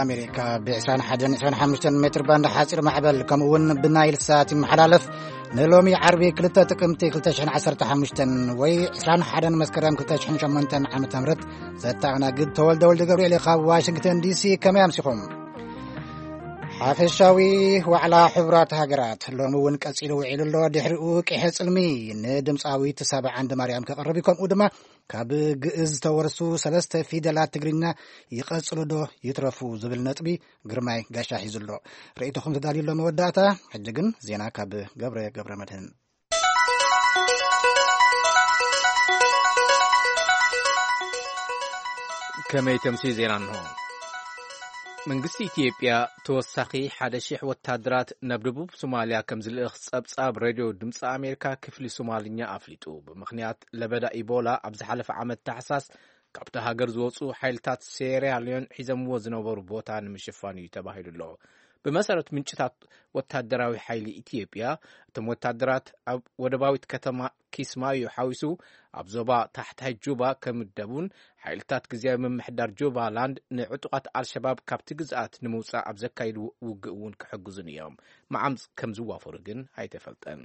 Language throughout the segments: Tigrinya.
ኣሜሪካ ብ ዕስራን ሓደን ዕስራን ሓሙሽተን ሜትር ባንድ ሓፂር ማዕበል ከምኡ እውን ብናይል ሳት ይመሓላለፍ። ንሎሚ ዓርቢ ክልተ ጥቅምቲ ክልተ ሽሕን ዓሰርተ ሓሙሽተን ወይ ዕስራን ሓደን መስከረም ክልተ ሽሕን ሸሞንተን ዓመተ ምህረት ዘተኣናግድ ተወልደ ወልደ ገብርኤል ካብ ዋሽንግተን ዲሲ። ከመይ ኣምሲኹም? ሓፈሻዊ ዋዕላ ሕቡራት ሃገራት ሎሚ እውን ቀጺሉ ውዒሉ ኣሎ። ድሕሪኡ ቂሐ ጽልሚ ንድምፃዊት ሳባ ዓንደ ማርያም ከቕርብ እዩ። ከምኡ ድማ ካብ ግእዝ ዝተወርሱ ሰለስተ ፊደላት ትግርኛ ይቐጽሉ ዶ ይትረፉ ዝብል ነጥቢ ግርማይ ጋሻ ሒዙ ኣሎ። ርእይቶኹም ተዳልዩ ኣሎ መወዳእታ። ሕጂ ግን ዜና ካብ ገብረ ገብረ መድህን። ከመይ ተምሲ ዜና እንሆ። መንግስቲ ኢትዮጵያ ተወሳኺ ሓደ ሺሕ ወታደራት ናብ ደቡብ ሶማልያ ከም ዝልእኽ ጸብጻብ ሬድዮ ድምፂ ኣሜሪካ ክፍሊ ሶማልኛ ኣፍሊጡ። ብምኽንያት ለበዳ ኢቦላ ኣብ ዝሓለፈ ዓመት ታሕሳስ ካብታ ሃገር ዝወፁ ሓይልታት ሴራ ሊዮን ሒዘምዎ ዝነበሩ ቦታ ንምሽፋን እዩ ተባሂሉ ኣሎ። ብመሰረት ምንጭታት ወታደራዊ ሓይሊ ኢትዮጵያ፣ እቶም ወታደራት ኣብ ወደባዊት ከተማ ኪስማዮ ሓዊሱ ኣብ ዞባ ታሕታይ ጁባ ከምደቡን ሓይልታት ግዝያዊ ምምሕዳር ጁባ ላንድ ንዕጡቓት ኣልሸባብ ካብቲ ግዝኣት ንምውፃእ ኣብ ዘካይዱ ውግእ እውን ክሕግዙን እዮም። መዓምፅ ከም ዝዋፈሩ ግን ኣይተፈልጠን።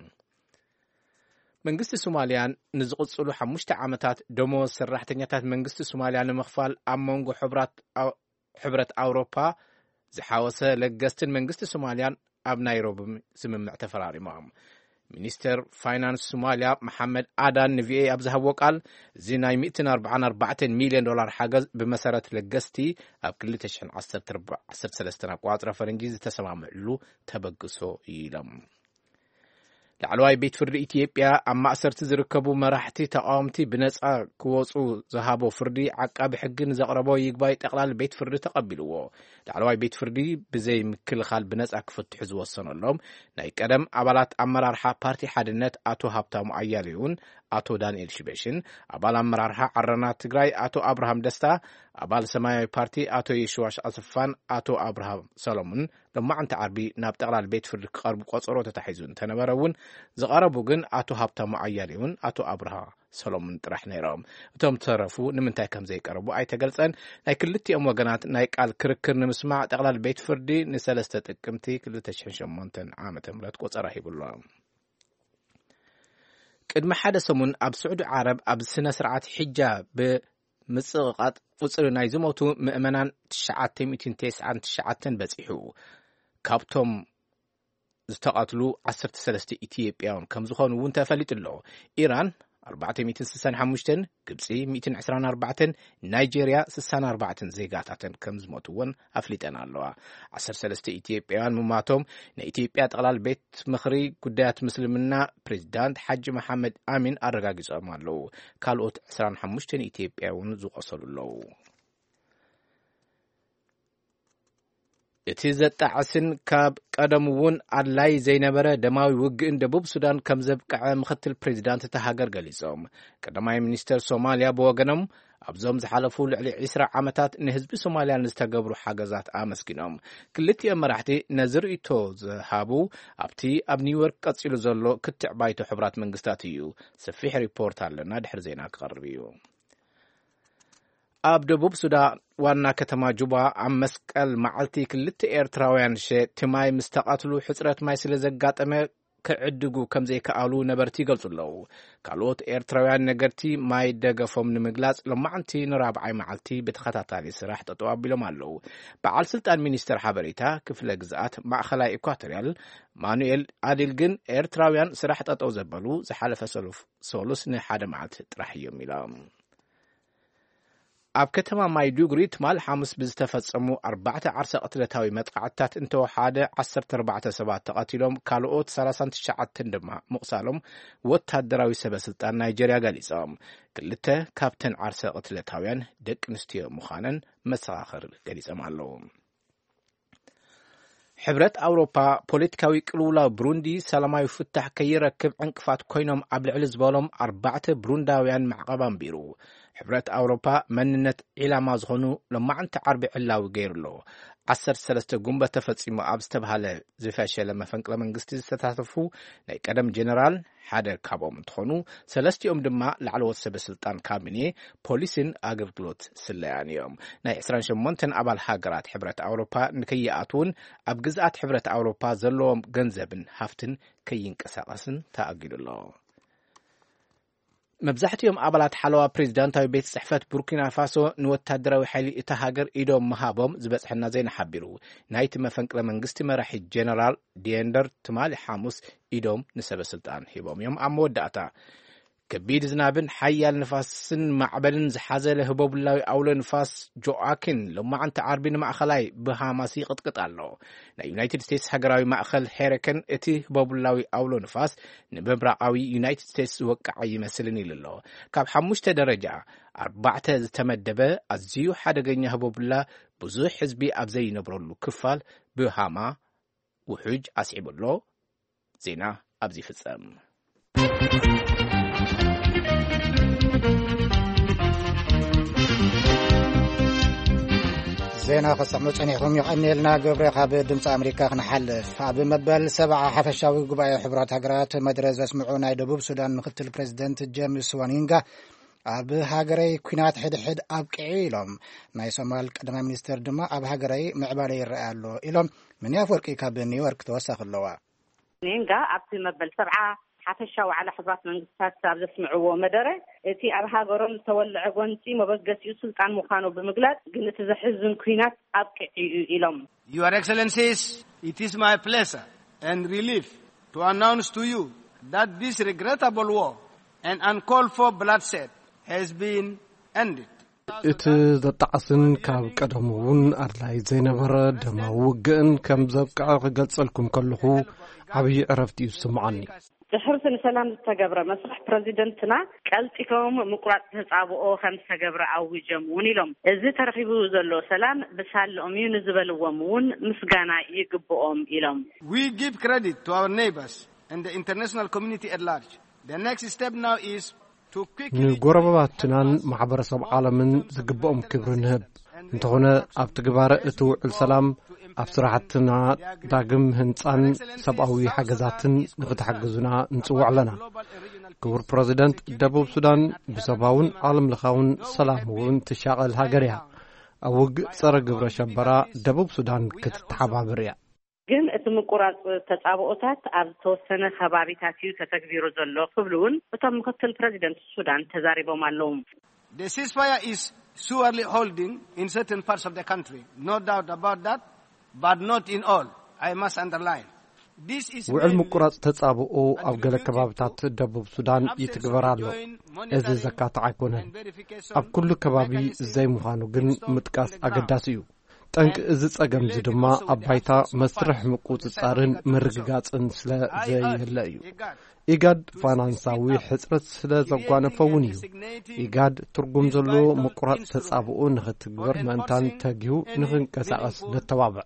መንግስቲ ሶማልያን ንዝቕጽሉ ሓሙሽተ ዓመታት ደሞዝ ሰራሕተኛታት መንግስቲ ሶማልያ ንምኽፋል ኣብ መንጎ ሕብራት ኣው-፣ ሕብረት ኣውሮፓ ዝሓወሰ ለገስትን መንግስቲ ሶማልያን ኣብ ናይሮቢ ስምምዕ ተፈራሪሞም። ሚኒስተር ፋይናንስ ሶማልያ መሓመድ ኣዳን ንቪኦኤ ኣብ ዝሃብዎ ቃል፣ እዚ ናይ ሚእትን ኣርባዓን ኣርባዕተን ሚልዮን ዶላር ሓገዝ ብመሰረት ለገስቲ ኣብ ክልተ ሽሕን ዓሰርተ ኣርባዕተን ዓሰርተ ሰለስተን ኣቆጻጽራ ፈረንጂ ዝተሰማምዕሉ ተበግሶ እዩ ኢሎም። ላዕለዋይ ቤት ፍርዲ ኢትዮጵያ ኣብ ማእሰርቲ ዝርከቡ መራሕቲ ተቃወምቲ ብነጻ ክወጹ ዝሃቦ ፍርዲ ዓቃቢ ሕጊ ንዘቕረቦ ይግባይ ጠቕላሊ ቤት ፍርዲ ተቐቢልዎ። ላዕለዋይ ቤት ፍርዲ ብዘይ ምክልኻል ብነጻ ክፍትሑ ዝወሰነሎም ናይ ቀደም ኣባላት ኣመራርሓ ፓርቲ ሓድነት ኣቶ ሃብታሙ ኣያሌውን ኣቶ ዳንኤል ሽበሽን፣ ኣባል ኣመራርሓ ዓረና ትግራይ ኣቶ ኣብርሃም ደስታ፣ ኣባል ሰማያዊ ፓርቲ ኣቶ የሽዋሽ ኣሰፋን ኣቶ ኣብርሃም ሰሎሙን ሎማዕንቲ ዓርቢ ናብ ጠቕላሊ ቤት ፍርዲ ክቐርቡ ቆጸሮ ተታሒዙ እንተነበረ እውን፣ ዝቐረቡ ግን ኣቶ ሃብታሙ ኣያሌውን ኣቶ ኣብርሃ ሰሎሙን ጥራሕ ነይሮም። እቶም ዝተረፉ ንምንታይ ከም ዘይቀረቡ ኣይተገልጸን። ናይ ክልቲኦም ወገናት ናይ ቃል ክርክር ንምስማዕ ጠቕላሊ ቤት ፍርዲ ንሰለስተ ጥቅምቲ ክልተ ሽሕን ሸሞንተን ዓመተ ምህረት ቆጸራ ሂቡ ኣሎ። ቅድሚ ሓደ ሰሙን ኣብ ስዑዲ ዓረብ ኣብ ስነ ስርዓት ሒጃ ብምጽቕቓጥ ቁጽሪ ናይ ዝሞቱ ምእመናን ትሽዓተ ሚእትን ተስዓን ትሽዓተን በጺሑ። ካብቶም ዝተቐትሉ ዓሰርተ ሰለስተ ኢትዮጵያውያን ከም ዝኾኑ እውን ተፈሊጡ ኣሎ። ኢራን ኣርባዕተ ሚእትን ስሳን ሓሙሽተን፣ ግብጺ ሚእትን ዕስራን ኣርባዕተን፣ ናይጄርያ ስሳን ኣርባዕተን ዜጋታተን ከም ዝሞቱ እውን ኣፍሊጠን ኣለዋ። ዓሰርተ ሰለስተ ኢትዮጵያውያን ምማቶም ናይ ኢትዮጵያ ጠቕላል ቤት ምኽሪ ጉዳያት ምስልምና ፕሬዚዳንት ሓጂ መሓመድ ኣሚን ኣረጋጊጾም ኣለዉ። ካልኦት ዕስራን ሓሙሽተን ኢትዮጵያ እውን ዝቆሰሉ ኣለዉ። እቲ ዘጣዕስን ካብ ቀደም እውን ኣድላይ ዘይነበረ ደማዊ ውግእን ደቡብ ሱዳን ከም ዘብቅዐ ምኽትል ፕሬዚዳንት እታ ሃገር ገሊጾም። ቀዳማይ ሚኒስተር ሶማልያ ብወገኖም፣ ኣብዞም ዝሓለፉ ልዕሊ ዕስራ ዓመታት ንህዝቢ ሶማልያ ንዝተገብሩ ሓገዛት ኣመስጊኖም። ክልቲኦም መራሕቲ ነዚ ርእይቶ ዝሃቡ ኣብቲ ኣብ ኒውዮርክ ቀጺሉ ዘሎ ክትዕ ባይቶ ሕቡራት መንግስታት እዩ። ሰፊሕ ሪፖርት ኣለና፣ ድሕሪ ዜና ክቐርብ እዩ። ኣብ ደቡብ ሱዳን ዋና ከተማ ጁባ ኣብ መስቀል መዓልቲ ክልተ ኤርትራውያን ሸየጥቲ ማይ ምስ ተቐትሉ፣ ሕጽረት ማይ ስለ ዘጋጠመ ክዕድጉ ከም ዘይከኣሉ ነበርቲ ይገልጹ ኣለዉ። ካልኦት ኤርትራውያን ነገድቲ ማይ ደገፎም ንምግላጽ ሎማዕንቲ ንራብዓይ መዓልቲ ብተኸታታሊ ስራሕ ጠጠው ኣቢሎም ኣለዉ። በዓል ስልጣን ሚኒስተር ሓበሬታ ክፍለ ግዝኣት ማእኸላይ ኢኳቶርያል ማኑኤል ኣዲል ግን፣ ኤርትራውያን ስራሕ ጠጠው ዘበሉ ዝሓለፈ ሰሉፍ-፣ ሰሉስ ንሓደ መዓልቲ ጥራሕ እዮም ኢሎም። ኣብ ከተማ ማይዱጉሪ ትማል ሓሙስ ብዝተፈጸሙ ኣርባዕተ ዓርሰ ቅትለታዊ መጥቃዕትታት እንተወሓደ ዓሰርተ ኣርባዕተ ሰባት ተቐቲሎም፣ ካልኦት ሰላሳን ትሽዓተን ድማ ምቑሳሎም ወታደራዊ ሰበ ስልጣን ናይጀርያ ገሊጾም። ክልተ ካብተን ዓርሰ ቅትለታውያን ደቂ ኣንስትዮ ምዃነን መሰኻኽር ገሊጾም ኣለዉ። ሕብረት ኣውሮፓ ፖለቲካዊ ቅልውላው ብሩንዲ ሰላማዊ ፍታሕ ከይረክብ ዕንቅፋት ኮይኖም ኣብ ልዕሊ ዝበሎም ኣርባዕተ ብሩንዳውያን ማዕቐብ ኣንቢሩ። ሕብረት ኣውሮፓ መንነት ዒላማ ዝኾኑ ሎማዕንቲ ዓርቢ ዕላዊ ገይሩ ኣሎ። ዓሰርተ ሰለስተ ጉንበት ተፈጺሙ ኣብ ዝተባህለ ዝፈሸለ መፈንቅለ መንግስቲ ዝተሳተፉ ናይ ቀደም ጀነራል ሓደ ካብኦም እንትኾኑ፣ ሰለስቲኦም ድማ ላዕለዎት ሰበ ስልጣን ካቢኔ፣ ፖሊስን ኣገልግሎት ስለያን እዮም። ናይ ዕስራን ሸሞንተን ኣባል ሃገራት ሕብረት ኣውሮፓ ንከይኣትውን ኣብ ግዝኣት ሕብረት ኣውሮፓ ዘለዎም ገንዘብን ሃፍትን ከይንቀሳቐስን ተኣጊዱ ኣሎ። መብዛሕትኦም ኣባላት ሓለዋ ፕሬዚዳንታዊ ቤት ጽሕፈት ቡርኪና ፋሶ ንወታደራዊ ሓይሊ እታ ሃገር ኢዶም ምሃቦም ዝበጽሐና ዜና ሓቢሩ። ናይቲ መፈንቅለ መንግስቲ መራሒ ጀነራል ዲየንደር ትማሊ ሓሙስ ኢዶም ንሰበ ስልጣን ሂቦም እዮም። ኣብ መወዳእታ ከቢድ ዝናብን ሓያል ንፋስን ማዕበልን ዝሓዘለ ህቦብላዊ ኣውሎ ንፋስ ጆኣኪን ሎማዓንቲ ዓርቢ ንማእኸላይ ብሃማስ ይቕጥቅጥ ኣሎ። ናይ ዩናይትድ ስቴትስ ሃገራዊ ማእኸል ሄሪከን እቲ ህቦብላዊ ኣውሎ ንፋስ ንምብራቓዊ ዩናይትድ ስቴትስ ዝወቅዕ ኣይመስልን ኢሉ ኣሎ። ካብ ሓሙሽተ ደረጃ ኣርባዕተ ዝተመደበ ኣዝዩ ሓደገኛ ህቦብላ ብዙሕ ህዝቢ ኣብ ዘይነብረሉ ክፋል ብሃማ ውሑጅ ኣስዒቡ ኣሎ። ዜና ኣብዚ ይፍጸም። ዜና ክሰምዑ ጸኒሕኩም፣ የቐንየልና። ግብረ ካብ ድምፂ ኣሜሪካ ክንሓልፍ፣ ኣብ መበል ሰብዓ ሓፈሻዊ ጉባኤ ሕቡራት ሃገራት መደረ ዘስምዑ ናይ ደቡብ ሱዳን ምክትል ፕሬዚደንት ጄምስ ዋኒንጋ፣ ኣብ ሃገረይ ኲናት ሕድሕድ ኣብቂዑ ኢሎም። ናይ ሶማል ቀዳማይ ሚኒስትር ድማ ኣብ ሃገረይ ምዕባለ ይረኣይ ኣሎ ኢሎም። ምን ኣፈወርቂ ካብ ኒውዮርክ ተወሳኺ ኣለዋ። ኔንጋ ኣብቲ መበል ሰብዓ ሓፈሻዊ ዋዕላ ሕቡራት መንግስታት ኣብ ዘስምዕዎ መደረ፣ እቲ ኣብ ሃገሮም ዝተወልዐ ጎንፂ መበገሲኡ ስልጣን ምዃኑ ብምግላጽ፣ ግን እቲ ዘሕዝን ኲናት ኣብቂዑ እዩ ኢሎም። Your Excellencies, it is my pleasure and relief to announce to you that this regrettable war and uncalled for bloodshed has been ended. እቲ ዘጣዕስን ካብ ቀደሙ እውን ኣድላይ ዘይነበረ ደማዊ ውግእን ከም ዘብቅዐ ክገልጸልኩም ከለኹ ዓብዪ ዕረፍቲ እዩ ዝስምዓኒ። ድሕርቲ ንሰላም ዝተገብረ መስርሕ፣ ፕረዚደንትና ቀልጢፎም ምቁራጽ ተጻብኦ ከም ዝተገብረ ኣዊጆም እውን ኢሎም። እዚ ተረኺቡ ዘሎ ሰላም ብሳልኦም እዩ ንዝበልዎም እውን ምስጋና ይግብኦም ኢሎም። We give credit to our neighbors and the international community at large. The next step now is ንጎረባባትናን ማሕበረሰብ ዓለምን ዝግብኦም ክብሪ ንህብ። እንተኾነ፣ ኣብ ትግባረ እቲ ውዕል ሰላም ኣብ ስራሕትና ዳግም ህንጻን ሰብኣዊ ሓገዛትን ንክትሕግዙና ንጽውዕ ኣለና። ክቡር ፕረዚደንት፣ ደቡብ ሱዳን ብሰብኣውን ዓለም ለኻውን ሰላም እውን ትሻቐል ሃገር እያ። ኣብ ውግእ ጸረ ግብረ ሸበራ ደቡብ ሱዳን ክትተሓባበር እያ። ግን እቲ ምቁራጽ ተጻብኦታት ኣብ ዝተወሰነ ከባቢታት እዩ ተተግቢሩ ዘሎ ክብሉ እውን እቶም ምክትል ፕረዚደንት ሱዳን ተዛሪቦም ኣለዉ። The ceasefire is surely holding in certain parts of the country. No doubt about that, but not in all. I must underline. This is ውዕል ምቁራጽ ተጻብኦ ኣብ ገለ ከባብታት ደቡብ ሱዳን ይትግበር ኣሎ። እዚ ዘካትዕ ኣይኮነን። ኣብ ኩሉ ከባቢ ዘይምዃኑ ግን ምጥቃስ ኣገዳሲ እዩ። ጠንቂ እዚ ጸገም እዚ ድማ ኣብ ባይታ መስርሕ ምቁጽጻርን ምርግጋጽን ስለ ዘየለ እዩ። ኢጋድ ፋይናንሳዊ ሕጽረት ስለ ዘጓነፈ እውን እዩ። ኢጋድ ትርጉም ዘለዎ ምቁራጽ ተጻብኦ ንኽትግበር ምእንታን ተጊሁ ንኽንቀሳቐስ ነተባብዕ።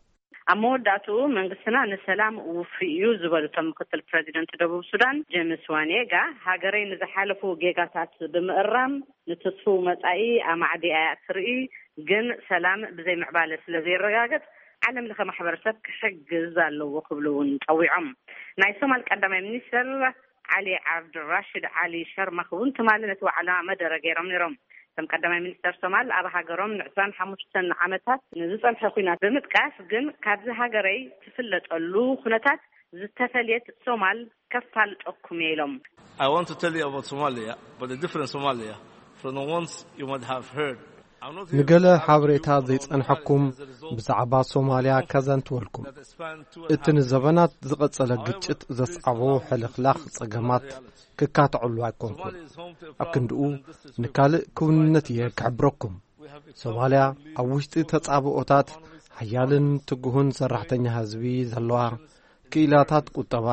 ኣብ መወዳእትኡ መንግስትና ንሰላም ውፉይ እዩ ዝበሉ እቶም ምክትል ፕረዚደንት ደቡብ ሱዳን ጄምስ ዋኔጋ፣ ሃገረይ ንዝሓለፉ ጌጋታት ብምእራም ንትስፉው መጻኢ ኣማዕዲኣ እያ ትርኢ፣ ግን ሰላም ብዘይ ምዕባለ ስለ ዘይረጋገጽ ዓለም ለኸ ማሕበረሰብ ክሕግዝ ኣለዎ ክብሉ እውን ጸዊዖም። ናይ ሶማል ቀዳማይ ሚኒስትር ዓሊ ዓብድራሽድ ዓሊ ሸርማኽ እውን ትማሊ ነቲ ዋዕላ መደረ ገይሮም ነይሮም። እቶም ቀዳማይ ሚኒስተር ሶማል ኣብ ሃገሮም ንዕስራን ሓሙሽተን ዓመታት ንዝጸንሐ ኲናት ብምጥቃስ፣ ግን ካብዚ ሃገረይ ትፍለጠሉ ኩነታት ዝተፈልየት ሶማል ከፋልጠኩም እየ ኢሎም። I want to tell you about Somalia, but a different Somalia from the ones you might have heard. I'm not here ንገለ ሓበሬታ ዘይጸንሐኩም ብዛዕባ ሶማልያ ከዘንትወልኩም። እቲ ንዘበናት ዝቐጸለ ግጭት ዘስዓቦ ሕልኽላኽ ጸገማት ክካትዐሉ ኣይኮንኩን። ኣብ ክንድኡ ንካልእ ክውንነት እየ ክሕብረኩም። ሶማልያ ኣብ ውሽጢ ተጻብኦታት ሓያልን ትጉህን ሰራሕተኛ ህዝቢ ዘለዋ፣ ክኢላታት ቁጠባ፣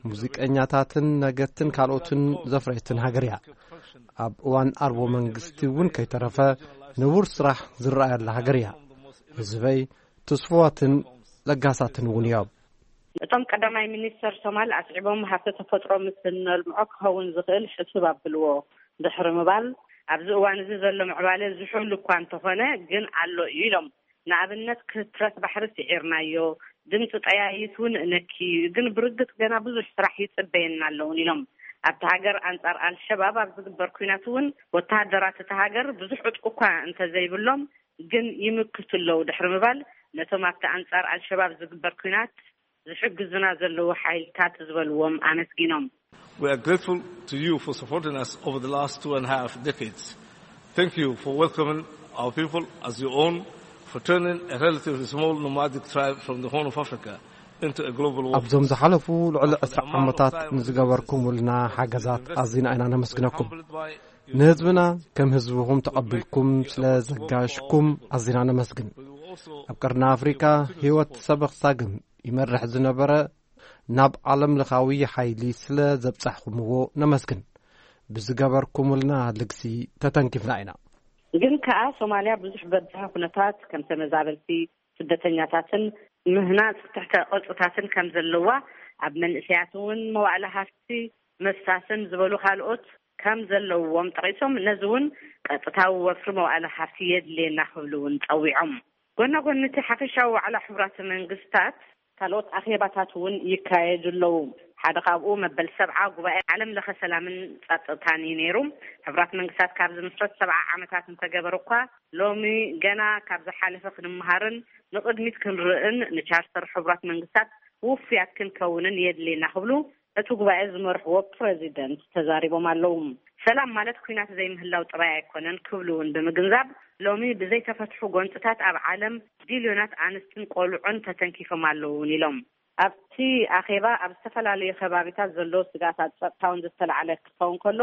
ሙዚቀኛታትን ነገድትን ካልኦትን ዘፍረየትን ሃገር እያ። ኣብ እዋን ኣልቦ መንግስቲ እውን ከይተረፈ ንቡር ስራሕ ዝረኣየላ ሃገር እያ። ህዝበይ ትስፉዋትን ለጋሳትን እውን እዮም። እቶም ቀዳማይ ሚኒስተር ሶማል ኣስዒቦም፣ ሃብቲ ተፈጥሮ ምስ እነልምዖ ክኸውን ዝኽእል ሕሱብ ኣብልዎ ድሕሪ ምባል፣ ኣብዚ እዋን እዚ ዘሎ ምዕባለ ዝሑል እኳ እንተኾነ ግን ኣሎ እዩ ኢሎም። ንኣብነት ክትረት ባሕሪ ስዒርናዮ፣ ድምፂ ጠያይት እውን ነኪ እዩ። ግን ብርግፅ ገና ብዙሕ ስራሕ ይፅበየና ኣለውን ኢሎም። ኣብቲ ሃገር ኣንፃር ኣልሸባብ ኣብ ዝግበር ኩናት እውን ወተሃደራት እቲ ሃገር ብዙሕ ዕጥቂ እኳ እንተዘይብሎም ግን ይምክቱ ኣለዉ ድሕሪ ምባል፣ ነቶም ኣብቲ ኣንፃር ኣልሸባብ ዝግበር ኩናት ዝሕግዙና ዘለዉ ሓይልታት ዝበልዎም ኣመስጊኖም። We are grateful to you for supporting us over the last two and a half decades. Thank you for welcoming our people as your own, for turning a relatively small nomadic tribe from the Horn of Africa into a global warforce. ኣብዞም ዝሓለፉ ልዕሊ ዕስራ ዓመታት ንዝገበርኩምልና ሓገዛት ኣዚና ኢና ነመስግነኩም። ንህዝብና ከም ህዝብኹም ተቐቢልኩም ስለ ዘጋሽኩም ኣዚና ነመስግን። ኣብ ቀርኒ ኣፍሪካ ህይወት ሰበኽ ሳግም ይመርሕ ዝነበረ ናብ ዓለም ለኻዊ ሓይሊ ስለ ዘብጻሕኹምዎ ነመስግን። ብዝገበርኩምልና ልግሲ ተተንኪፍና ኢና። ግን ከኣ ሶማልያ ብዙሕ በዝሒ ኩነታት ከም ተመዛበልቲ ስደተኛታትን ምህናጽ ትሕተ ቅርጽታትን ከም ዘለዋ፣ ኣብ መንእሰያት እውን መዋእለ ሃፍቲ መፍሳስን ዝበሉ ካልኦት ከም ዘለዎም ጠቒሶም፣ ነዚ እውን ቀጥታዊ ወፍሪ መዋእለ ሃፍቲ የድልየና ክብሉ እውን ጸዊዖም። ጎና ጎኒ እቲ ሓፈሻዊ ዋዕላ ሕቡራት መንግስታት ካልኦት ኣኼባታት እውን ይካየዱ ኣለዉ። ሓደ ካብኡ መበል ሰብዓ ጉባኤ ዓለም ለኸ ሰላምን ጸጥታን እዩ ነይሩ። ሕቡራት መንግስታት ካብ ዝምስረት ሰብዓ ዓመታት እንተገበረ እኳ፣ ሎሚ ገና ካብ ዝሓለፈ ክንምሃርን ንቕድሚት ክንርእን ንቻርተር ሕቡራት መንግስታት ውፉያት ክንከውንን የድልየና ክብሉ እቲ ጉባኤ ዝመርሕዎ ፕረዚደንት ተዛሪቦም ኣለዉ። ሰላም ማለት ኩናት ዘይምህላው ጥራይ ኣይኮነን ክብሉ እውን ብምግንዛብ፣ ሎሚ ብዘይተፈትሑ ጎንፅታት ኣብ ዓለም ቢልዮናት ኣንስትን ቆልዑን ተተንኪፎም ኣለዉ እውን ኢሎም። ኣብቲ ኣኼባ ኣብ ዝተፈላለዩ ከባቢታት ዘለዉ ስግኣታት ፀጥታ እውን ዝተላዕለ ክኸውን ከሎ፣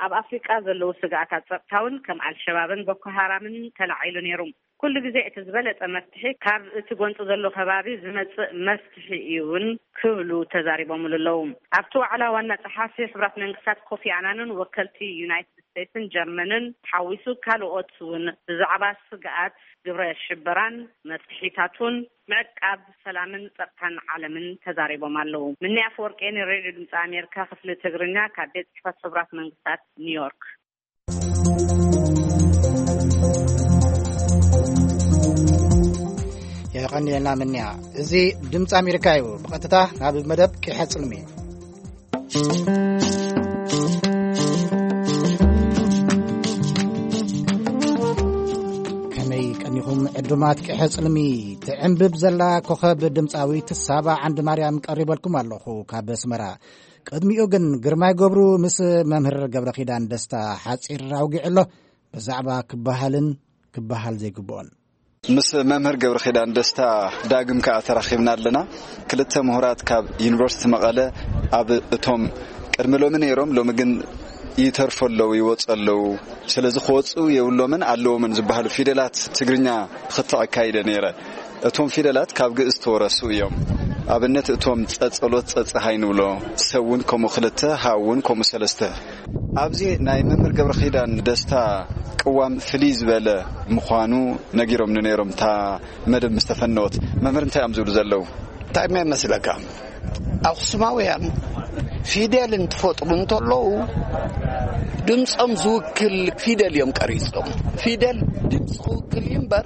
ኣብ ኣፍሪቃ ዘለዉ ስግኣታት ፀጥታ እውን ከም ኣልሸባብን ቦኮ ሃራምን ተላዒሉ ነይሩ። ኩሉ ግዜ እቲ ዝበለጸ መፍትሒ ካብ እቲ ጎንጺ ዘሎ ከባቢ ዝመጽእ መፍትሒ እዩ እውን ክብሉ ተዛሪቦምሉ ኣለዉ። ኣብቲ ዋዕላ ዋና ጸሓፊ ሕቡራት መንግስታት ኮፊ ኣናንን ወከልቲ ዩናይትድ ስቴትስን ጀርመንን ሓዊሱ ካልኦት እውን ብዛዕባ ስግኣት ግብረ ሽበራን መፍትሒታቱን ምዕቃብ ሰላምን ጸጥታን ዓለምን ተዛሪቦም ኣለዉ። ምኒ ኣፈወርቂ ንሬድዮ ድምፂ ኣሜሪካ ክፍሊ ትግርኛ ካብ ቤት ጽሕፈት ሕቡራት መንግስታት ኒውዮርክ። የቐንየልና ምንያ። እዚ ድምፂ ኣሜሪካ እዩ። ብቐጥታ ናብ መደብ ቂሐ ጽልሚ። ከመይ ቀኒኹም ዕዱማት ቂሐ ጽልሚ? ትዕንብብ ዘላ ኮኸብ ድምፃዊት ሳባ ዓንዲ ማርያም ቀሪበልኩም ኣለኹ ካብ ኣስመራ። ቅድሚኡ ግን ግርማይ ገብሩ ምስ መምህር ገብረ ኪዳን ደስታ ሓፂር ኣውጊዑ ኣሎ። ብዛዕባ ክበሃልን ክበሃል ዘይግብኦን። ምስ መምህር ገብረ ኪዳን ደስታ ዳግም ከኣ ተራኺብና ኣለና። ክልተ ምሁራት ካብ ዩኒቨርሲቲ መቐለ ኣብ እቶም ቅድሚ ሎሚ ነይሮም፣ ሎሚ ግን ይተርፉ ኣለዉ፣ ይወፁ ኣለዉ። ስለዚ ክወፁ የብሎምን ኣለዎምን ዝበሃሉ ፊደላት ትግርኛ ክትዕ ኣካይደ ነይረ። እቶም ፊደላት ካብ ግእዝ ተወረሱ እዮም። ኣብነት እቶም ጸጸሎት ጸጸሃይ ንብሎ፣ ሰውን ከምኡ ክልተ፣ ሃውን ከምኡ ሰለስተ። ኣብዚ ናይ መምህር ገብረ ኪዳን ደስታ ቅዋም ፍልይ ዝበለ ምዃኑ ነጊሮምኒ ነይሮም እታ መደብ ምስ ተፈነወት። መምህር እንታይ እዮም ዝብሉ ዘለዉ? እንታይ እሞ ይመስለካ? ኣኽሱማውያን ፊደል እንትፈጥሩ እንተለዉ ድምፆም ዝውክል ፊደል እዮም ቀሪፆም። ፊደል ድምፂ ክውክል እዩ እምበር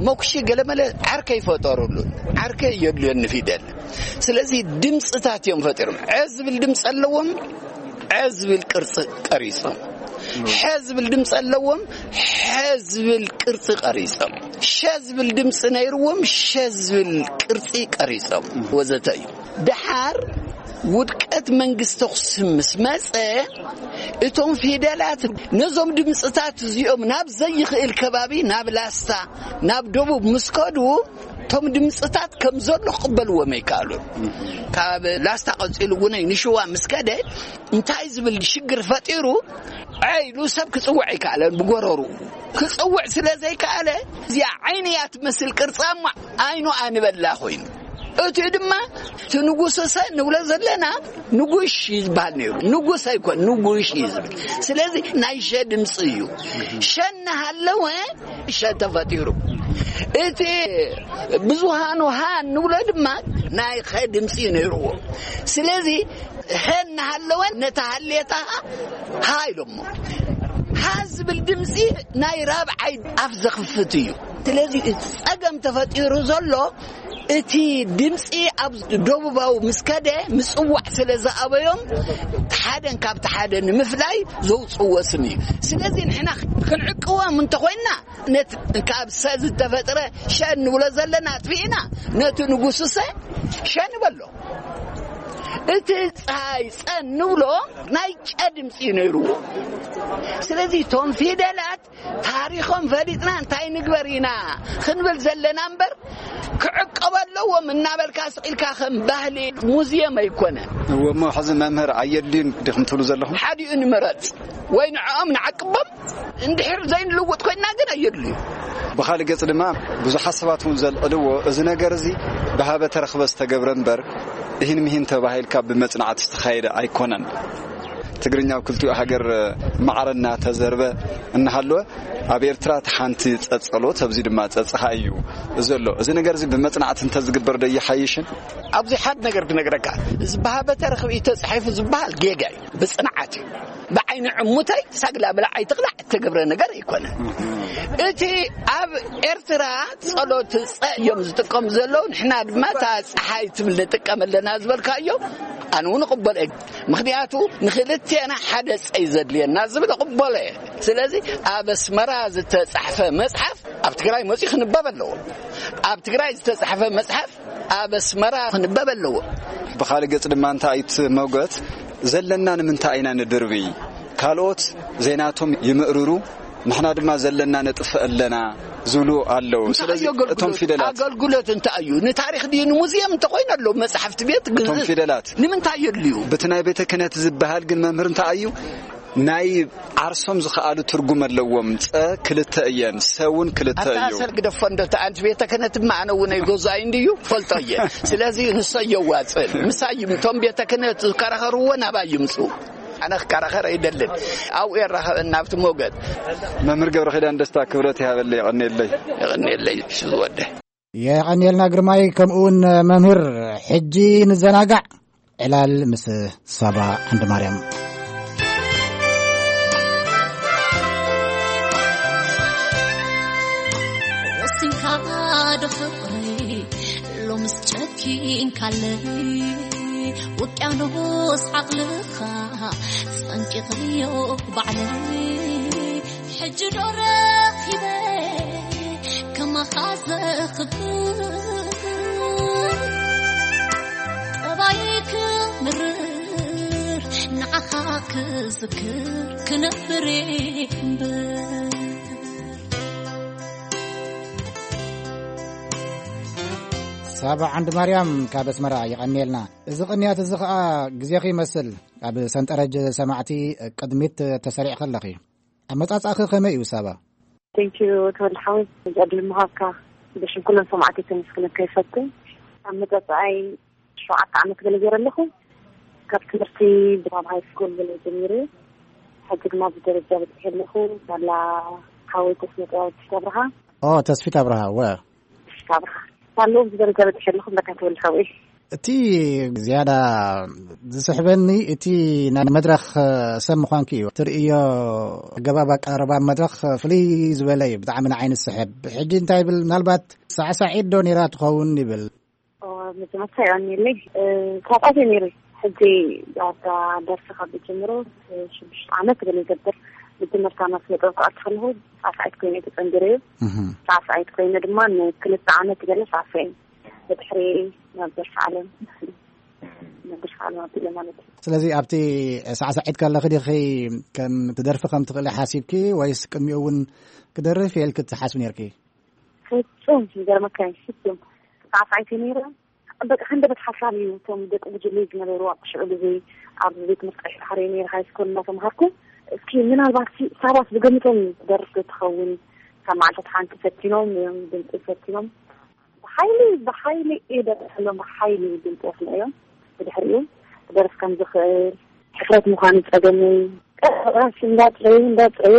መኩሺ ገለመለ ዓርከ ይፈጠሩሉን። ዓርከ የድልዮን ንፊደል። ስለዚ ድምፅታት እዮም ፈጢሮም። ዐ ዝብል ድምፂ ኣለዎም፣ ዐ ዝብል ቅርፂ ቀሪፆም። ሐ ዝብል ድምፂ ኣለዎም፣ ሐ ዝብል ቅርፂ ቀሪፆም። ሸ ዝብል ድምፂ ነይርዎም፣ ሸ ዝብል ቅርፂ ቀሪፆም ወዘተ እዩ። ደሓር ውድቀት መንግስቲ ኣኽሱም ምስ መፀ፣ እቶም ፊደላት ነዞም ድምፅታት እዚኦም ናብ ዘይኽእል ከባቢ፣ ናብ ላስታ፣ ናብ ደቡብ ምስ ከዱ፣ እቶም ድምፅታት ከም ዘሎ ክቕበልዎም ኣይከኣሉን። ካብ ላስታ ቀፂሉ እውን ንሽዋ ምስ ከደ፣ እንታይ ዝብል ሽግር ፈጢሩ፣ ዐ ኢሉ ሰብ ክፅውዕ ኣይከኣለን። ብጎረሩ ክፅውዕ ስለ ዘይከኣለ፣ እዚኣ ዓይኒ እያ ትመስል ቅርጻ እሞ ዓይኑ ኣንበላ ኮይኑ። እቲ ድማ እቲ ንጉስ ሰ ንብሎ ዘለና ንጉሽ እዩ ዝበሃል ነይሩ። ንጉስ ኣይኮን፣ ንጉሽ እዩ ዝብል። ስለዚ ናይ ሸ ድምፂ እዩ። ሸ እናሃለወ ሸ ተፈጢሩ። እቲ ብዙሃኑ ሃ ንብሎ ድማ ናይ ኸ ድምፂ እዩ ነይርዎ። ስለዚ ሀ እናሃለወ ነታ ሃሌታ ሃ ኢሎሞ። ሃ ዝብል ድምፂ ናይ ራብዓይ ኣፍ ዘኽፍት እዩ። ስለዚ እቲ ፀገም ተፈጢሩ ዘሎ እቲ ድምፂ ኣብ ደቡባዊ ምስ ከደ ምፅዋዕ ስለ ዝኣበዮም፣ ሓደን ካብቲ ሓደ ንምፍላይ ዘውፅዎ ስም እዩ። ስለዚ ንሕና ክንዕቅቦም እንተኾይንና፣ ነቲ ካብ ሰ ዝተፈጥረ ሸ እንብሎ ዘለና ኣጥፊእና፣ ነቲ ንጉሱ ሰ ሸ ንበሎ። እቲ ፀሃይ ፀ እንብሎ ናይ ጨ ድምፂ እዩ ነይርዎ። ስለዚ እቶም ፊደላት ታሪኾም ፈሊጥና እንታይ ንግበር ኢና ክንብል ዘለና እምበር፣ ክዕቀቡ ኣለዎም እናበልካ ስቕ ኢልካ ከም ባህሊ ሙዝየም ኣይኮነን። እወ፣ እሞ ሕዚ መምህር ኣየድልዩን ዲኹም ትብሉ ዘለኹም? ሓዲኡ ንምረፅ ወይ ንዕኦም ንዓቅቦም፣ እንድሕር ዘይንልውጥ ኮይንና ግን ኣየድልዩ። ብኻልእ ገጽ ድማ ብዙሓት ሰባት እውን ዘልዕልዎ፣ እዚ ነገር እዚ ብሃበ ተረኽበ ዝተገብረ እምበር፣ እሂን ምሂን ተባሂልካ ብመጽናዕቲ ዝተኻየደ ኣይኮነን። ትግርኛ ኣብ ክልቲኡ ሃገር ማዕረ እናተዘርበ እናሃለወ፣ ኣብ ኤርትራ እቲ ሓንቲ ጸጸሎት፣ ኣብዚ ድማ ጸጽኻ እዩ ዘሎ። እዚ ነገር እዚ ብመጽናዕቲ እንተዝግበር ዶ ይሓይሽን? ኣብዚ ሓድ ነገር ክነግረካ። እዚ ብሃበ ተረኽበ እዩ ተጻሒፉ ዝበሃል ጌጋ እዩ። ብጽንዓት እዩ። ብዓይኒ ዕሙተይ ሳግላ ብላዕ ኣይትቕላዕ እተገብረ ነገር ኣይኮነን። እቲ ኣብ ኤርትራ ጸሎት ጸ እዮም ዝጥቀሙ ዘለዉ፣ ንሕና ድማ እታ ጸሓይ ትብል ንጥቀም ኣለና ዝበልካዮ ኣነ እውን እቕበሎ እየ። ምኽንያቱ ንኽልቴና ሓደ ጸ እዩ ዘድልየና ዝብል እቕበሎ እየ። ስለዚ ኣብ ኣስመራ ዝተጻሕፈ መጽሓፍ ኣብ ትግራይ መጺኡ ክንበብ ኣለዎ። ኣብ ትግራይ ዝተጻሕፈ መጽሓፍ ኣብ ኣስመራ ክንበብ ኣለዎ። ብኻልእ ገጽ ድማ እንታይ እዩ እቲ መጎት ዘለና ንምንታይ ኢና ንድርቢ? ካልኦት ዘይናቶም ይምእርሩ፣ ንሕና ድማ ዘለና ነጥፍእ ኣለና ዝብሉ ኣለዉ። እንታይ ስለዚ እዩ ኣገልግሎት? እቶም ፊደላት ኣገልግሎት እንታይ እዩ? ንታሪኽ ድዩ ንሙዚየም እንተኾይኑ ኣለዉ መጽሓፍቲ ቤት እቶም ግዝእ ፊደላት ንምንታይ የድልዩ? በቲ ናይ ቤተ ክህነት ዝበሃል ግን መምህር እንታይ እዩ? ናይ ዓርሶም ዝኸኣሉ ትርጉም ኣለዎም። ጸ ክልተ እየን፣ ሰ እውን ክልተ ኣብታ እዩ። ሰል ግደፎ እንዶ እቲ ኣንቲ ቤተ ክህነት ድማ ኣነ እውን ኣይገዝኣይ እንድዩ ፈልጦ እየ። ስለዚ ንሶ የዋጽእ። ምሳይ እቶም ቤተ ክህነት ዝከራኸርዎ ናባይ ይምጹ። ኣነ ክከራኸር ኣይደልን። ኣብኡ የራኸበና ኣብቲ ሞገት። መምህር ገብረ ኪዳን ደስታ ክብረት ይሃበለይ፣ የቐንየለይ። የቐንየለይ፣ እሺ ዝወደ። የቐንየልና ግርማይ፣ ከምኡ እውን መምህር። ሕጂ ንዘናጋዕ። ዕላል ምስ ሳባ ዓንዲ ማርያም። ወሲንካ ዶ ፍቕረይ ሎምስ ጨኪንካለይ፣ ውቅያኖስ ዓቕልኻ ጸንቂቐዮ ባዕለይ። ሕጂ ዶ ረኺበ ከማኻ ዘኽብር፣ ጠባይ ክምርር ንዓኻ ክዝክር ክነብር እምበር። ሳባ ዓንዲ ማርያም ካብ ኣስመራ የቐንየልና። እዚ ቅንያት እዚ ኸኣ ግዜኺ ይመስል ኣብ ሰንጠረጅ ሰማዕቲ ቅድሚት ተሰሪዕኺ ኣለኺ። ኣመጻጽኣኺ ከመይ እዩ ሳባ? ቴንኪዩ ተወልደ ሓወይ፣ እዚ ዕድል ምሃብካ ብሽም ኩሎም ሰማዕቲ ከመስግነካ ይፈቱ። ኣመጻጽኣይ ሸውዓተ ዓመት ገለ ገይረ ኣለኹ። ካብ ትምህርቲ ብራብ ሃይ ስኩል ገለ ጀሚረ፣ ሕጂ ድማ ብደረጃ በጺሐ ኣለኹ። ሳላ ሓወይ ተስመጥያዊ ተስፋ ኣብርሃ። ኦ፣ ተስፊት ኣብርሃ፣ ወ። ተስፋ ኣብርሃ። ሳለኡ ብደረጃ በጺሐ ኣለኹ፣ በታ ተወልደ ሓወይ። እቲ ዝያዳ ዝስሕበኒ እቲ ናይ መድረኽ ሰብ ምዃንኪ እዩ። ትርእዮ ኣገባብ ኣቀራርባ መድረኽ ፍልይ ዝበለ እዩ። ብጣዕሚ ንዓይኒ ዝስሕብ። ሕጂ እንታይ ይብል፣ ምናልባት ሳዕሳዒት ዶ ነይራ ትኸውን ይብል። ኦ፣ መጀመርታ ይቐንየለይ። እ፣ ሳዕሳዒት እየ ነይረ። ሕጂ ኣብታ ደርፊ ካብ ዝጀምሮ፣ እ፣ ሽዱሽተ ዓመት ገለ ይገብር። መጀመርታ ናብ ስነ ጥበብ ክኣቱ ከለኹ ሳዕሳዒት ኮይነ ተጸንቢረ እዩ። እህ። ሳዕሳዒት ኮይነ ድማ ንክልተ ዓመት ገለ ሳዕሳዒ። ብድሕሪ ናብ ደርፊ ዓለም፣ ናብ ደርፊ ዓለም ኣቢለ ማለት እዩ። ስለዚ ኣብቲ ሳዕሳዒት ከለኺ ዲኺ ከም ትደርፊ ከም ትኽእሊ ሓሲብኪ ወይስ ቅድሚኡ እውን ክደርፍ እየ ኢልኪ ትሓስቢ ነይርኪ? ፍጹም ይገርመካ እዩ፣ ፍጹም። ሳዕሳዒት ነይረ። በቃ ሃንደበት ሓሳብ እዩ። እቶም ደቂ ጉጅለይ ዝነበሩ ኣብ ሽዑ ግዜ ኣብ ቤት ትምህርቲ ቀይሕ ባሕሪ ነይረ ሃይ ስኩል እናተምሃርኩ። እስኪ ምናልባት ሲ-፣ ሳባስ ብገምቶም ትደርፍ ዶ ትኸውን? ካብ መዓልታት ሓንቲ ፈቲኖም እዮም፣ ድምፂ ፈቲኖም። ብሓይሊ፣ ብሓይሊ እየ ደርፈሎም፣ ብሓይሊ ድምፂ ኣስምዐዮም። ብድሕሪኡ ክደርፍ ከም ዝኽእል፣ ሕፍረት ምዃኑ ጸገመይ። ቀስ እንዳጽረዩ፣ እንዳጽረዩ፣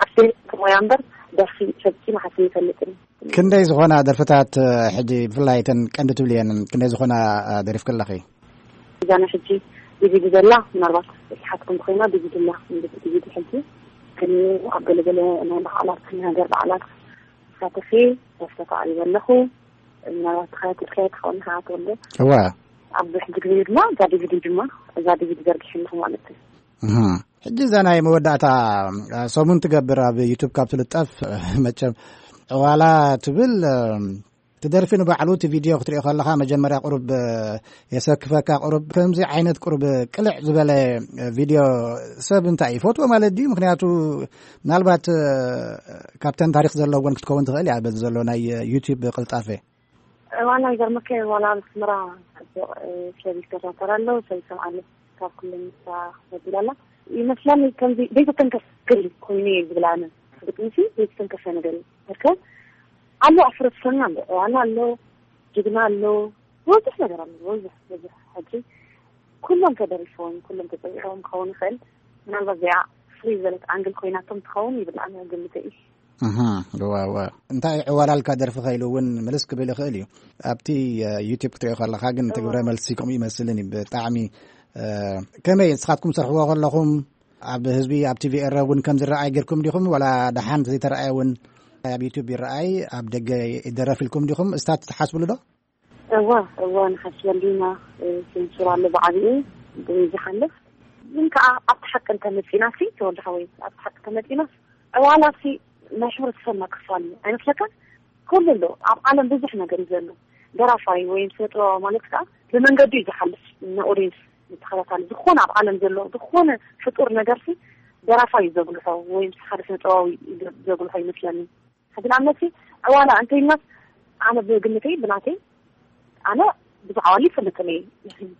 ኣፍቴ ከሞያ እምበር ደርፊ ፈጺመ ሓሲበ ይፈልጥን። ክንደይ ዝኾና ደርፍታት፣ ሕጂ ብፍላይ እተን ቀንዲ ትብልየን፣ ክንደይ ዝኾና ደሪፍኪ ኣለኺ? እዛ ናይ ሕጂ ዲቪዲ ዘላ፣ ምናልባት ዝሓትኩም ኮይና፣ ዲቪዲ ኣላ፣ ዲቪዲ ሕጂ። ግን ኣብ ገለገለ ናይ በዓላት፣ ናይ ሃገር በዓላት ሳተፊ ተሳተፍ ኣለኹ። ምናልባት ተኸታቲልካዮ ትኸውን ኢኻ፣ ኣቶ ወልደ። እዋ። ኣብዚ ሕጂ ግዜ ድማ እዛ ዲቪዲ ድማ፣ እዛ ዲቪዲ ዘርጊሐ ኣለኹ ማለት እዩ። እህ። ሕጂ እዛ ናይ መወዳእታ፣ እ፣ ሰሙን ትገብር ኣብ ዩቱብ ካብ ትልጠፍ፣ መቸም ዕዋላ ትብል፣ እ፣ ትደርፊ ንባዕሉ እቲ ቪድዮ ክትሪኦ ከለኻ መጀመርያ ቁሩብ፣ እ፣ የሰክፈካ። ቁሩብ ከምዚ ዓይነት ቁሩብ ቅልዕ ዝበለ፣ እ፣ ቪድዮ ሰብ እንታይ ይፈትዎ ማለት ድዩ? ምክንያቱ ምናልባት፣ እ፣ ካብተን ታሪኽ ዘለወን ክትከውን ትኽእል እያ በዚ ዘሎ ናይ ዩቱብ ቅልጣፈ። ዋላ ይገርመካ፣ ዋላ ኣብ ኣስመራ ጽቡቕ፣ እ፣ ሰብ ይከታተል ኣሎ፣ ሰብ ይሰምዓ ኣሎ። ካብ ኩሉ ንሳ ክበድል ኣላ። ይመስላኒ ከምዚ ዘይተተንከፈ ነገር እዩ ኮይኑ እየ ዝብል ኣነ። ብጥንሲ ዘይተተንከፈ ነገር እዩ። እርከ ኣሎ፣ ኣብ ሕብረተሰብና ኣሎ፣ ዋላ ኣሎ፣ ጅግና ኣሎ፣ ብዙሕ ነገር ኣሎ፣ ብዙሕ፣ ብዙሕ። ሕጂ ኩሎም ተደሪፎም፣ ኩሎም ተጸዊዖም ክኸውን ይኽእል። ምናልባት እዚኣ ፍሪ ዝበለት ኣንግል ኮይናቶም ትኸውን ይብል ኣነ ግምተይ እዩ። እህ፣ እዋ፣ እዋ። እንታይ ዕዋላልካ ደርፊ ከኢሉ እውን ምልስ ክብል ይኽእል እዩ። ኣብቲ፣ እ፣ ዩቲዩብ ክትሪኦ ከለኻ ግን እቲ እዋ። ግብረ መልሲ ከምኡ ይመስልን እዩ። ብጣዕሚ፣ እ፣ ከመይ ንስኻትኩም ትሰርሕዎ ከለኹም ኣብ ህዝቢ፣ ኣብ ቲቪ ኤረ እውን ከም ዝረኣይ ጌርኩም ዲኹም? ዋላ ደሓን ዘይተረኣየ እውን ኣብ ዩቲዩብ ይረኣይ፣ ኣብ ደገ ይደረፍ ኢልኩም ዲኹም? እስታት ትሓስብሉ ዶ? እዋ፣ እዋ፣ ንሓስበሉ ኢና። እ፣ ሴንሱር ኣሎ ብዓቢኡ፣ ብኡ ዝሓልፍ። ግን ከኣ ኣብቲ ሓቂ እንተመጺእናሲ፣ ተወልደ ሓወይ፣ ኣብቲ ሓቂ እንተመጺእናስ፣ ዕዋላሲ ናይ ሕብረተሰብና ክፋል እዩ። ኣይመስለካን? ኩሉ ኣሎ። ኣብ ዓለም ብዙሕ ነገር እዩ ዘሎ። ደራፋይ ወይ ስነ ጥበባዊ ማለት ከኣ ብመንገዱ እዩ ዝሓልፍ፣ ንኦድየንስ ንተኸታታሊ። ዝኾነ ኣብ ዓለም ዘሎ ዝኾነ ፍጡር ነገርሲ ደራፋይ እዩ ዘጉልሖ ወይ ምስ ሓደ ስነ ጥበባዊ እዩ ዘጉልሖ ይመስለኒ። ሕጂ ንኣብነትሲ ዕዋላ እንተኢልናስ ኣነ ብግምተይ ብናተይ ኣነ ብዙሕ ዓዋሊ ይፈልጥን እየ።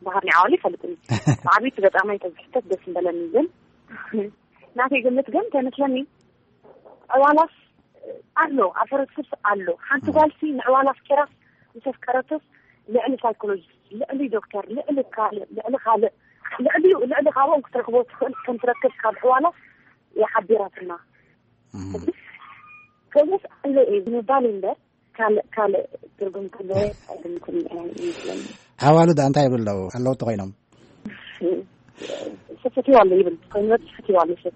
ባህር ናይ ዓዋሊ ይፈልጥን እየ። ብዓብይቲ ገጣማይ ተዝሕተት ደስ ምበለኒ ግን ናተይ ግምት ግን እንታይ መስለኒ ዕዋላስ ኣሎ፣ ኣብ ሕብረተሰብ ኣሎ። ሓንቲ ጓልሲ ንዕዋላ ኣፍቂራስ ምስ ኣፍቀረቶስ ልዕሊ ሳይኮሎጂስት፣ ልዕሊ ዶክተር፣ ልዕሊ ካልእ፣ ልዕሊ ካልእ፣ ልዕሊኡ፣ ልዕሊ ካብኦም ክትረኽቦ ትኽእል ከም ትረክብ ካብ ዕዋላ ይሓቢራትና። እም። ከምኡስ ኣሎ እዩ ንምባል እምበር ካልእ፣ ካልእ ትርጉም ክህልዎ ኣይግምትን እየ ይመስለኒ። ኣዋልድ እንታይ ይብሉ ኣለዉ? ኣለዉ ተኾይኖም? ሰብ ፈትዩ ኣሎ ይብል። ኮይኑ ሰብ ፈትዩ ኣሎ ሰብ።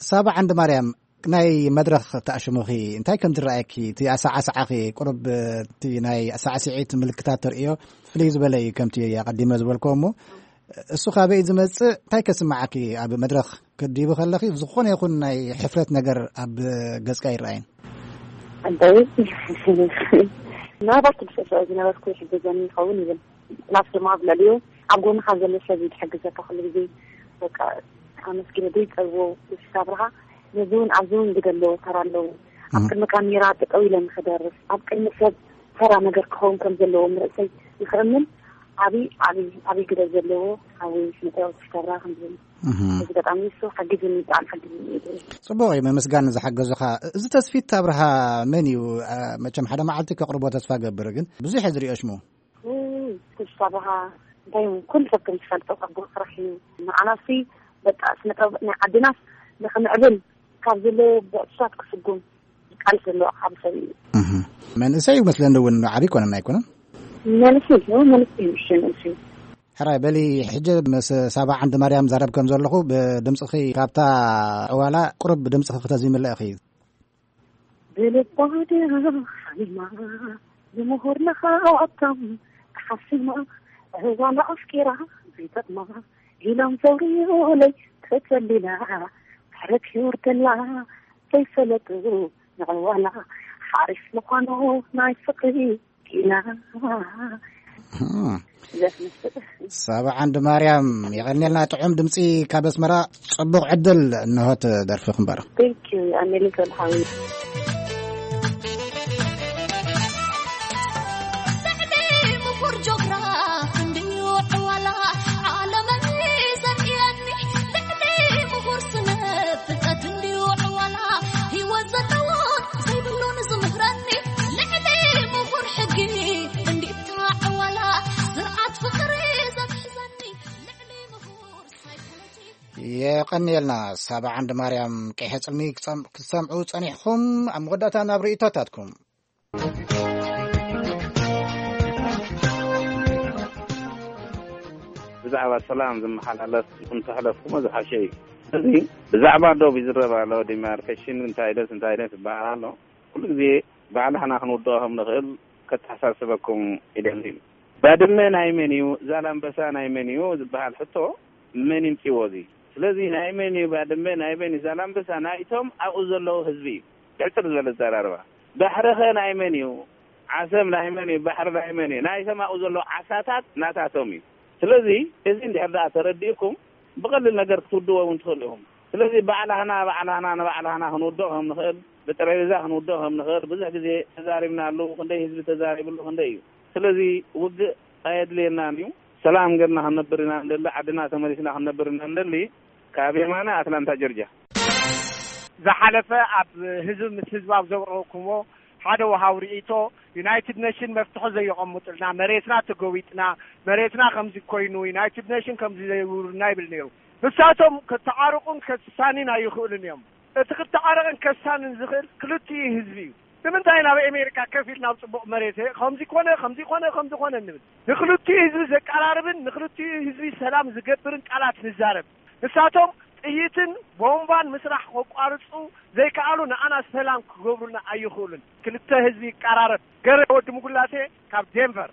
ሳባ ዓንዲ ማርያም፣ ናይ መድረኽ ተኣሽሙኺ እንታይ ከም ዝረኣየኪ፣ እቲ ኣሰዓስዓኺ ቁሩብ፣ እቲ ናይ ኣሰዓስዒት ምልክታት ተርእዮ ፍልይ ዝበለ እዩ፣ ከምቲ ኣቐዲመ ዝበልክዎ እሞ፣ እሱ ካበይ ዝመጽእ፣ እንታይ ከስምዓኪ? ኣብ መድረኽ ክትድይቢ ከለኺ ዝኾነ ይኹን ናይ ሕፍረት ነገር ኣብ ገጽካ ይረኣይን? ኣበይ ምናልባት ክድሰሶ ዝነበርኩ ይሕግዘኒ ይኸውን ይብል። ፕላስ ድማ ኣብ ልዕሊኡ ኣብ ጎንኻ ዘሎ ሰብ እዩ ዝሕግዘካ ኩሉ ግዜ። በቃ ኣመስጊነ ዘይጸልዎ ስጋብርኻ ነዚ እውን ኣብዚ እውን ግደ ኣለዎ፣ ተራ ኣለዎ። ኣብ እም። ቅድሚ ካሜራ ጠጠው ኢለ ንኽደርፍ፣ ኣብ ቅድሚ ሰብ ተራ ነገር ክኸውን ከም ዘለዎ ንርእሰይ ንኽእምን ዓብዪ፣ ዓብዪ፣ ዓብዪ ግደ ዘለዎ ሓወይ ስነ ጥበብ ስጋብርኻ ከም ዝብል። እህ። እዚ በጣም ንሱ ሓጊዙኒ፣ ብጣዕሚ ሓጊዙኒ እዩ። ጽቡቕ እዩ፣ ምምስጋን ንዝሓገዙኻ። እዚ ተስፊት ኣብርሃ መን እዩ? አ፣ መቸም ሓደ መዓልቲ ከቕርቦ ተስፋ ገብር፣ ግን ብዙሕ እየ ዝሪኦ ሽሙ። ውይ፣ ተስፋ ኣብርሃ እንታይ እዩ? ኩሉ ሰብ ከም ዝፈልጦ ጽቡቕ ስራሕ እዩ። ንዓናሲ በቃ ስነ ጥበብ ናይ ዓድናስ ንኽምዕብል ካብ ዘለዎ ብዕቱሳት ክስጉም ዝቃለስ ዘሎ ዓቢ ሰብ እዩ። እህ። መንእሰይ እዩ መስለኒ እውን፣ ዓቢ ኣይኮነን ኣይኮነን? መንእሰይ እዩ፣ መንእሰይ እዩ፣ እሺ፣ መንእሰይ እዩ። ሕራይ በሊ፣ ሕጂ ምስ ሳባ ዓንዲ ማርያም ዛረብ ከም ዘለኹ፣ ብድምጽኺ ካብታ ዕዋላ ቁሩብ ድምጽኺ ክተዚምለ ኢኺ። ብልባ ድያ ሓሚማ፣ ብምሁር ለኻዋቶም ተሓሲማ፣ ዕዋላ ኣፍቂራ ዘይጠቕማ፣ ኢሎም ዘውርዩለይ ተጸሊላ፣ ምሕረት ይውርደላ፣ ዘይፈለጡ ንዕዋላ፣ ሓሪፍ ምዃኑ ናይ ፍቕሪ ኪና። እም። ዘስመስል። ሳባ ዓንዲ ማርያም፣ የቐንየልና ጥዑም ድምጺ ካብ ኣስመራ። ጽቡቕ ዕድል፣ እንሆ እቲ ደርፊ ክንበሮ። Thank you፣ ኣሜሊካ ሓዊ። ልዕሊ ምሁር ጆግራፍ እንድዩ ዕዋላ ዓለመይ ዘርእየኒ፣ ልዕሊ ምሁር ስነ ፍልጠት እንድዩ ዕዋላ ህይወት ዘለዎን ዘይብሉን ዝምህረኒ፣ ልዕሊ ምሁር ሕጊ እንዲታ ዕዋላ ስርዓት ፍቕሪ ዘትሕዘኒ፣ ልዕሊ ምሁር ሳይኮሎጂ። የቐንየልና ሳባ ዓንዲ ማርያም። ቀይሐ ጽልሚ ክጸም-፣ ክትሰምዑ ጸኒሕኩም፣ ኣብ መወዳእታ ናብ ርእይቶታትኩም። ብዛዕባ ሰላም ዝመሓላለፍ እንተሕለፍኩሞ ዝሓሸ እዩ። እዚ ብዛዕባ ዶብ ይዝረብ ኣሎ፣ ዲማርኬሽን እንታይ ደስ እንታይ ደስ ይበሃል ኣሎ። ኩሉ ግዜ ባዕላህና ክንውድኦ ከም ንኽእል ከተሓሳስበኩም ይደሊ። ባድመ ናይ መን እዩ፣ ዛላምበሳ ናይ መን እዩ ዝበሃል ሕቶ መን ይምፅዎ? እዚ ስለዚ ናይ መን እዩ ባድመ፣ ናይ መን እዩ ዛላምበሳ? ናይቶም ኣብኡ ዘለዉ ህዝቢ እዩ። ሕፅር ዝበለ ዘራርባ። ባሕርኸ ናይ መን እዩ? ዓሰብ ናይ መን እዩ? ባሕሪ ናይ መን እዩ? ናይቶም ኣብኡ ዘለዉ ዓሳታት ናታቶም እዩ። ስለዚ እዚ እንድሕር ደኣ ተረዲእኩም ብቐሊል ነገር ክትውድዎ እውን ትኽእሉ ኢኹም። ስለዚ ባዕላህና ባዕላህና ንባዕላህና ክንውድኦ ከም ንኽእል፣ ብጠረጴዛ ክንውድኦ ከም ንኽእል ብዙሕ ግዜ ተዛሪብናሉ። ክንደይ ህዝቢ ተዛሪብሉ ክንደይ እዩ። ስለዚ ውግእ ኣየድልየናን እዩ። ሰላም ገርና ክንነብር ኢና እንደሊ፣ ዓድና ተመሊስና ክንነብር ኢና እንደሊ። ካብ የማነ ኣትላንታ ጆርጅያ። ዝሓለፈ ኣብ ህዝቢ ምስ ህዝቢ ኣብ ዘቕረብኩሞ ሓደ ወሃብ ርእይቶ፣ ዩናይትድ ኔሽን መፍትሒ ዘየቐምጡልና፣ መሬትና ተገዊጥና፣ መሬትና ከምዚ ኮይኑ፣ ዩናይትድ ኔሽን ከምዚ ዘይብሉና ይብል ነይሩ። ንሳቶም ከተዓርቁን ከሳኒን ኣይኽእሉን እዮም። እቲ ክተዓረቕን ከሳንን ዝኽእል ክልቲኡ ህዝቢ እዩ። ንምንታይ ናብ ኣሜሪካ ከፊል ናብ ጽቡቕ መሬት ከምዚ ኮነ፣ ከምዚ ኮነ፣ ከምዚ ኮነ እንብል? ንክልቲኡ ህዝቢ ዘቀራርብን ንክልቲኡ ህዝቢ ሰላም ዝገብርን ቃላት ንዛረብ። ንሳቶም ጥይትን ቦምባን ምስራሕ ከቋርጹ ዘይከኣሉ፣ ንኣና ሰላም ክገብሩልና ኣይኽእሉን። ክልተ ህዝቢ ይቀራረብ። ገረ ወዲ ምጉላቴ ካብ ዴንቨር።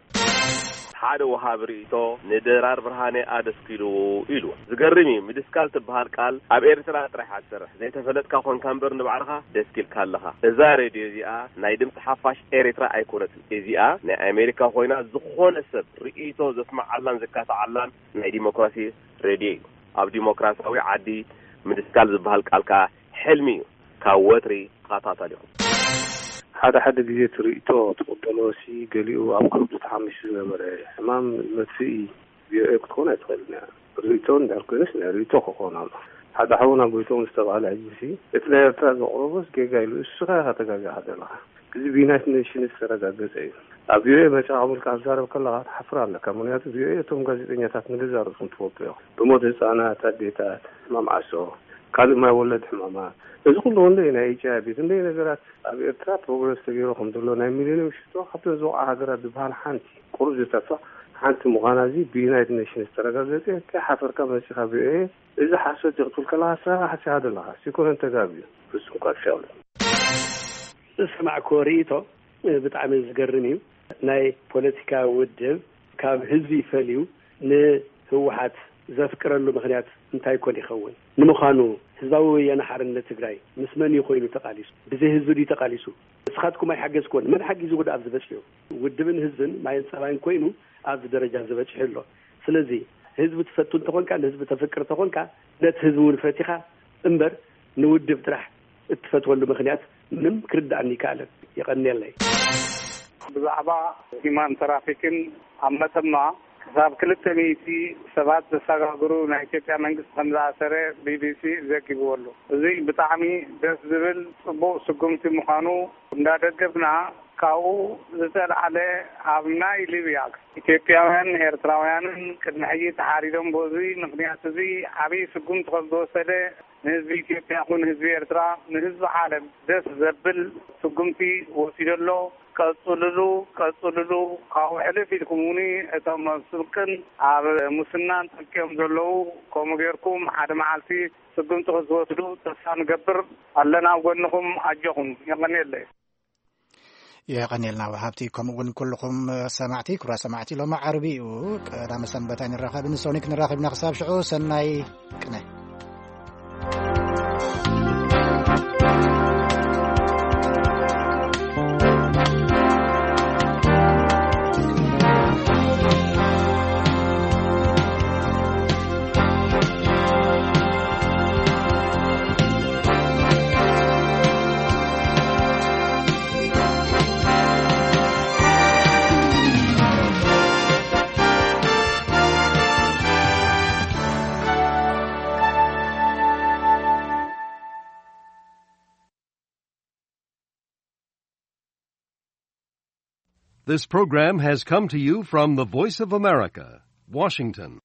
ሓደ ወሃቢ ርእይቶ ንድራር ብርሃነ ኣደስኪልዎ ኢሉ። ዝገርም እዩ፣ ምድስካል ትበሃል ቃል ኣብ ኤርትራ ጥራሕ እያ ትሰርሕ። ዘይተፈለጥካ ኮንካ እምበር ንባዕልኻ ደስኪልካ ኣለኻ። እዛ ሬድዮ እዚኣ ናይ ድምፂ ሓፋሽ ኤርትራ ኣይኮነትን። እዚኣ ናይ ኣሜሪካ ኮይና ዝኾነ ሰብ ርእይቶ ዘስምዓላን ዘካትዓላን ናይ ዲሞክራሲ ሬድዮ እዩ። ኣብ ዲሞክራሲያዊ ዓዲ ምድስካል ዝበሃል ቃል ከኣ ሕልሚ እዩ። ካብ ወትሪ ተኸታታሊኹም። ሓደ ሓደ ግዜ እቲ ርእይቶ ትቕበሎ ሲ ገሊኡ ኣብ ከብዱ ተሓሚሱ ዝነበረ ሕማም መጥፍኢ ቪኦኤ ክትኾን ኣይትኽእልን እያ። ርእይቶ እንድሕር ኮይኑስ ናይ ርእይቶ ክኾን ኣሎ። ሓደ ሓውና ጎይቶም ዝተባህለ ሕጂ ሲ እቲ ናይ ኤርትራ ዘቕረቦስ ጌጋ ኢሉ እስኻ ኢኻ ተጋጊኻ ዘለኻ። እዚ ብዩናይትድ ኔሽንስ ዝተረጋገጸ እዩ። ኣብ ቪኦኤ መጺኻ ምልካ ክትዛረብ ከለኻ ትሓፍር ኣለካ። ምኽንያቱ ቪኦኤ እቶም ጋዜጠኛታት ንገዛእ ርእስኹም ትፈልጡ ኢኹም። ብሞት ህጻናት፣ ኣዴታት፣ ሕማም ዓሶ፣ ካልእ ማይ ወለድ ሕማማት፣ እዚ ኩሉ ክንደይ ናይ ኤች ኣይ ቪ ክንደይ ነገራት ኣብ ኤርትራ ፕሮግረስ ተገይሩ ከም ዘሎ ናይ ሚሊዮን ሽቶ ካብተን ዝወቕዓ ሃገራት ዝበሃል ሓንቲ ቁሩብ ዝተርፋ ሓንቲ ምዃና እዚ ብዩናይትድ ኔሽንስ ዝተረጋገጸ ከይሓፈርካ መጺኻ ቪኦኤ እዚ ሓሶት እዩ ክትብል ከለኻ ንስኻ ሓሲኻ ዘለኻ ሲኮነን ተጋቢ እዩ ፍጹም ቃልሲ ኣብሉ ዝሰማዕክዎ ርእይቶ ብጣዕሚ ዝገርም እዩ። ናይ ፖለቲካ ውድብ ካብ ህዝቢ ፈልዩ ንህወሓት ዘፍቅረሉ ምኽንያት እንታይ ኮን ይኸውን? ንምዃኑ ህዝባዊ ወያነ ሓርነት ትግራይ ምስ መን እዩ ኮይኑ ተቓሊሱ? ብዘይ ህዝቢ ድዩ ተቓሊሱ? ንስኻትኩም ኣይሓገዝክዎን። መን ሓጊዝዎ ደኣ ኣብዚ በፂሑ? ውድብን ህዝብን ማይን ፀባይን ኮይኑ ኣብዚ ደረጃ ዝበፂሑ ኣሎ። ስለዚ ህዝቢ ትፈቱ እንተኾንካ፣ ንህዝቢ ተፍቅር እንተኾንካ፣ ነቲ ህዝቢ እውን ፈቲኻ እምበር ንውድብ ጥራሕ እትፈትወሉ ምኽንያት ምንም ክርድኣኒ ይከኣለን። የቐንየለይ። ብዛዕባ ሂማን ትራፊክን ኣብ መተማ ክሳብ ክልተ ሚእቲ ሰባት ዘሰጋግሩ ናይ ኢትዮጵያ መንግስቲ ከም ዝኣሰረ ቢቢሲ ዘጊብዎ ኣሎ። እዚ ብጣዕሚ ደስ ዝብል ጽቡቕ ስጉምቲ ምዃኑ እንዳደገፍና፣ ካብኡ ዝተልዓለ ኣብ ናይ ሊብያ ኢትዮጵያውያን ኤርትራውያንን ቅድሚ ሕጂ ተሓሪዶም፣ በዚ ምኽንያት እዚ ዓብዪ ስጉምቲ ከም ዝወሰደ ንህዝቢ ኢትዮጵያ ይኹን ህዝቢ ኤርትራ ንህዝቢ ዓለም ደስ ዘብል ስጉምቲ ወሲዱ ኣሎ። ቀጽልሉ፣ ቀጽልሉ። ካብኡ ሕልፍ ኢልኩም እውን እቶም ኣብ ስርቅን ኣብ ሙስናን ጠልቅዮም ዘለዉ ከምኡ ጌርኩም ሓደ መዓልቲ ስጉምቲ ክትወስዱ ተስፋ ንገብር ኣለና። ኣብ ጎንኹም ኣጆኹም። የቐንየለይ። የቐንየልና ወሃብቲ፣ ከምኡ እውን ኩልኹም ሰማዕቲ። ክቡራት ሰማዕቲ፣ ሎሚ ዓርቢ እዩ፣ ቀዳመ ሰንበት ኣይንራኸብን። ሶኒክ ንራኸብና። ክሳብ ሽዑ ሰናይ ቅነ። This program has come to you from the Voice of America, Washington.